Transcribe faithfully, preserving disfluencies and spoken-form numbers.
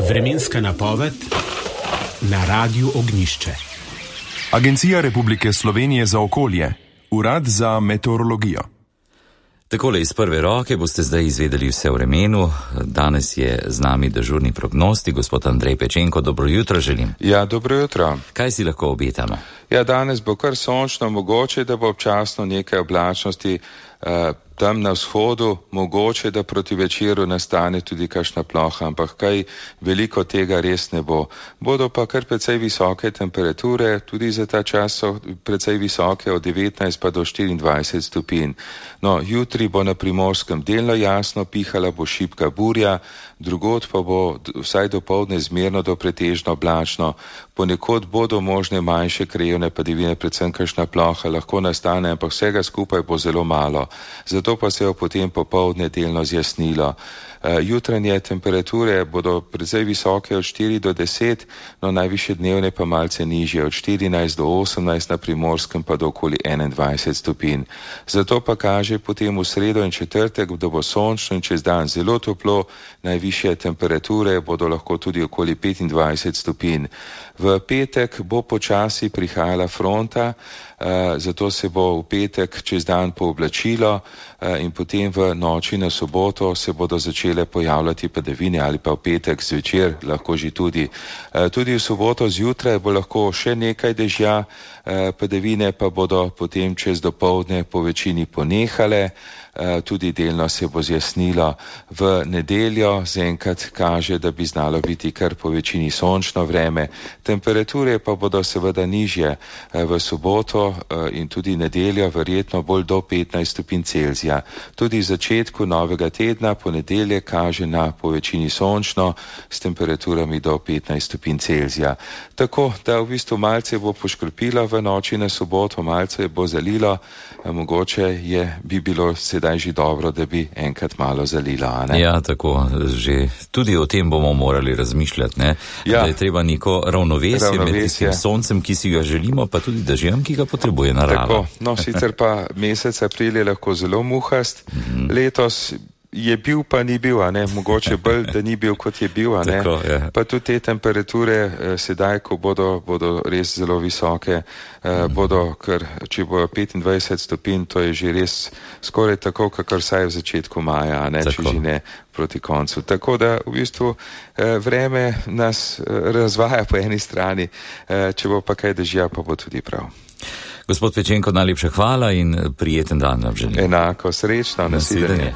Vremenska napoved na Radiu Ognjišče. Agencija Republike Slovenije za okolje, Urad za meteorologijo. Takole iz prve roke boste zdaj izvedeli vse o vremenu. Danes je z nami dežurni prognostik, gospod Andrej Pečenko. Dobro jutro želim. Ja, dobro jutro. Kaj si lahko obetamo? Ja, danes bo kar sončno, mogoče, da bo občasno nekaj oblačnosti eh, tam na vzhodu, mogoče, da proti večeru nastane tudi kakšna ploha, ampak kaj veliko tega res ne bo. Bodo pa kar precej visoke temperature, tudi za ta čas so precej visoke, od devetnajst pa do štiriindvajset stopinj. No, jutri bo na Primorskem delno jasno, pihala bo šibka burja, drugod pa bo vsaj dopoldne zmerno do pretežno oblačno. Ponekod bodo možne manjše krajevne padavine, predvsem kakšna ploha lahko nastane, ampak vsega skupaj bo zelo malo. Zato pa se je potem popoldne delno zjasnilo. Jutranje temperature bodo precej visoke od štiri do deset, no najvišje dnevne pa malce nižje, od štirinajst do osemnajst, na Primorskem pa do okoli enaindvajset stopinj. Zato pa kaže potem v sredo in četrtek, da bo sončno in čez dan zelo toplo, najvišje temperature bodo lahko tudi okoli petindvajset stopinj. V petek bo počasi prihajala fronta, zato se bo v petek čez dan pooblačilo in potem v noči na soboto se bodo začele pojavljati padavine, ali pa v petek zvečer lahko že tudi. Tudi v soboto zjutraj bo lahko še nekaj dežja, padavine pa bodo potem čez dopoldne po večini ponehale, tudi delno se bo zjasnilo. V nedeljo zaenkrat kaže, da bi znalo biti kar po večini sončno vreme. Temperature pa bodo seveda nižje v soboto in tudi nedeljo, verjetno bolj do petnajst stopinj Celzija. Tudi v začetku novega tedna, ponedeljek, kaže na po večini sončno s temperaturami do petnajst stopinj Celzija. Tako da v bistvu malce bo poškropilo v noči na soboto, malce bo zalilo, mogoče je bi bilo sedaj že dobro, da bi enkrat malo zalilo. A ne? Ja, tako, že tudi o tem bomo morali razmišljati, ne? Ja. Da je treba neko ravnovesje, ravnovesje med tistim soncem, ki si ga želimo, pa tudi dežjem, ki ga potrebuje narava. Tako, no sicer pa mesec april je lahko zelo muhast, mm-hmm. Letos je bil, pa ni bil, a ne, mogoče bolj, da ni bil, kot je bil, a ne. Tako, ja. Pa tudi te temperature eh, sedaj, ko bodo, bodo res zelo visoke, eh, mm. bodo, ker če bo petindvajset stopinj, to je že res skoraj tako, kakor saj v začetku maja, a ne, tako. Če že ne proti koncu. Tako da v bistvu eh, vreme nas eh, razvaja po eni strani, eh, če bo pa kaj dežja, pa bo tudi prav. Gospod Pečenko, najlepša hvala in prijeten dan vam želim. Enako, srečno, nasvidenje.